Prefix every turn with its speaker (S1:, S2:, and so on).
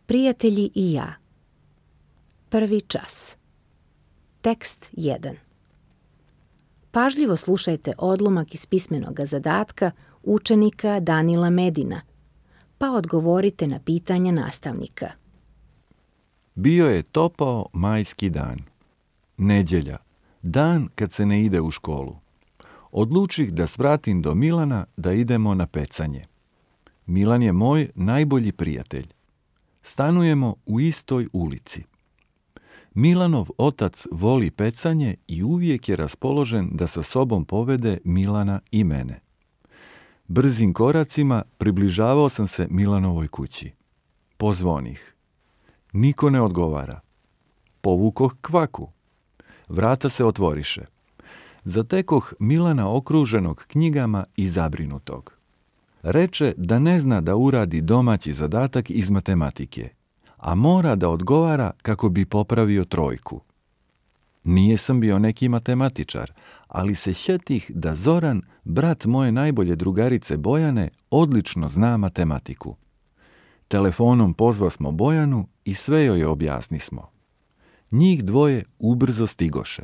S1: Prijatelji i ja. Prvi čas. Tekst 1. Pažljivo slušajte odlomak iz pismenog zadatka učenika Danila Medina, pa odgovorite na pitanja nastavnika.
S2: Bio je topao majski dan. Nedjelja, dan kad se ne ide u školu. Odlučih da svratim do Milana da idemo na pecanje. Milan je moj najbolji prijatelj. Stanujemo u istoj ulici. Milanov otac voli pecanje i uvijek je raspoložen da sa sobom povede Milana i mene. Brzim koracima približavao sam se Milanovoj kući. Pozvonih. Niko ne odgovara. Povukoh kvaku. Vrata se otvoriše. Zatekoh Milana okruženog knjigama i zabrinutog. Reče da ne zna da uradi domaći zadatak iz matematike, a mora da odgovara kako bi popravio trojku. Nije sam bio neki matematičar, ali se sjetih da Zoran, brat moje najbolje drugarice Bojane, odlično zna matematiku. Telefonom pozvasmo Bojanu i sve joj objasnismo. Njih dvoje ubrzo stigoše.